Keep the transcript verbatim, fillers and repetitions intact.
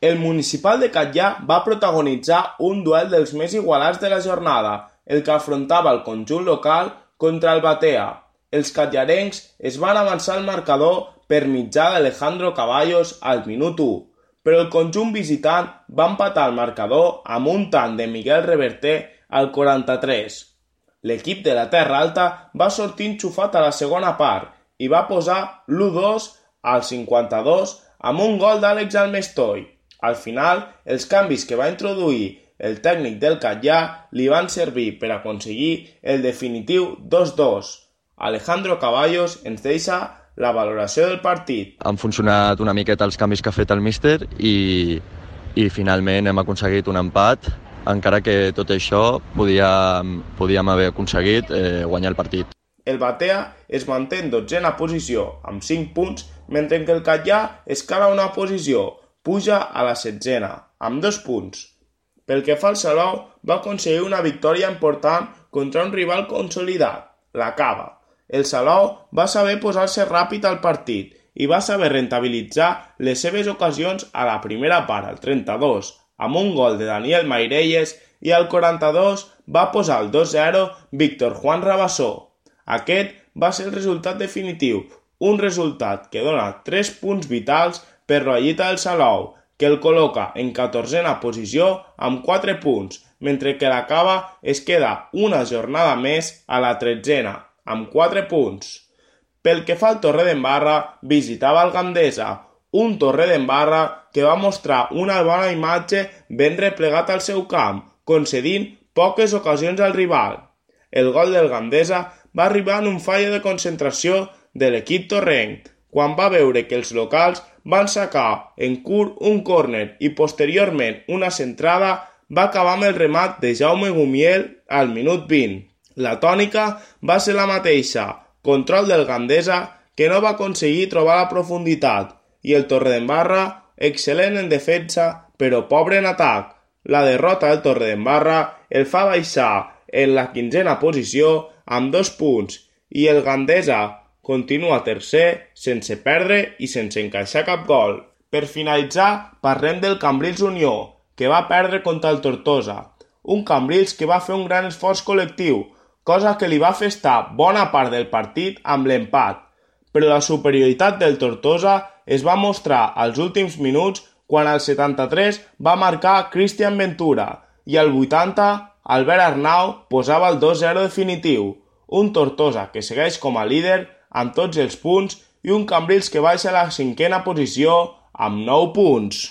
El Municipal de Catllà va protagonitzar un duel dels més igualats de la jornada, el que afrontava el conjunt local contra el Batea. Els catllarencs es van avançar al marcador per mitjà d'Alejandro Caballos al minut u, però el conjunt visitant va empatar el marcador amb un tant de Miguel Reverter al quaranta-tres. L'equip de la Terra Alta va sortir enxufat a la segona part i va posar l'u dos al cinquanta-dos amb un gol d'Àlex Almestoi. Al final, els canvis que va introduir el tècnic del Catllà li van servir per aconseguir el definitiu dos dos. Alejandro Caballos ens deixa la valoració del partit. Han funcionat una miqueta els canvis que ha fet el míster i, i finalment hem aconseguit un empat, encara que tot això podíem, podíem haver aconseguit eh, guanyar el partit. El Batea es manté en dotzena posició amb cinc punts, mentre que el Catllà escala una posició, puja a la setzena, amb dos punts. Pel que fa al Salou, va aconseguir una victòria important contra un rival consolidat, la Cava. El Salou va saber posar-se ràpid al partit i va saber rentabilitzar les seves ocasions a la primera part, al trenta-dos, amb un gol de Daniel Mairelles, i al quaranta-dos va posar el dos zero Víctor Juan Rabassó. Aquest va ser el resultat definitiu, un resultat que dona tres punts vitals per la llita del Salou, que el col·loca en catorzena posició amb quatre punts, mentre que la Cava es queda una jornada més a la tretzena, amb quatre punts. Pel que fa al Torredembarra, visitava el Gandesa, un Torredembarra que va mostrar una bona imatge ben replegat al seu camp, concedint poques ocasions al rival. El gol del Gandesa va arribar en un fallo de concentració de l'equip torrenc, quan va veure que els locals van sacar en curt un córner i posteriorment una centrada, va acabar amb el remat de Jaume Gumiel al minut vint. La tònica va ser la mateixa, control del Gandesa que no va aconseguir trobar la profunditat, i el Torredembarra excel·lent en defensa però pobre en atac. La derrota del Torredembarra el fa baixar en la quinzena posició amb dos punts i el Gandesa continua tercer sense perdre i sense encaixar cap gol. Per finalitzar, parlem del Cambrils Unió, que va perdre contra el Tortosa. Un Cambrils que va fer un gran esforç col·lectiu, cosa que li va fer estar bona part del partit amb l'empat. Però la superioritat del Tortosa es va mostrar als últims minuts quan al setanta-tres va marcar Cristian Ventura i al vuitanta Albert Arnau posava el dos zero definitiu. Un Tortosa que segueix com a líder amb tots els punts i un Cambrils que baixa a la cinquena posició amb nou punts.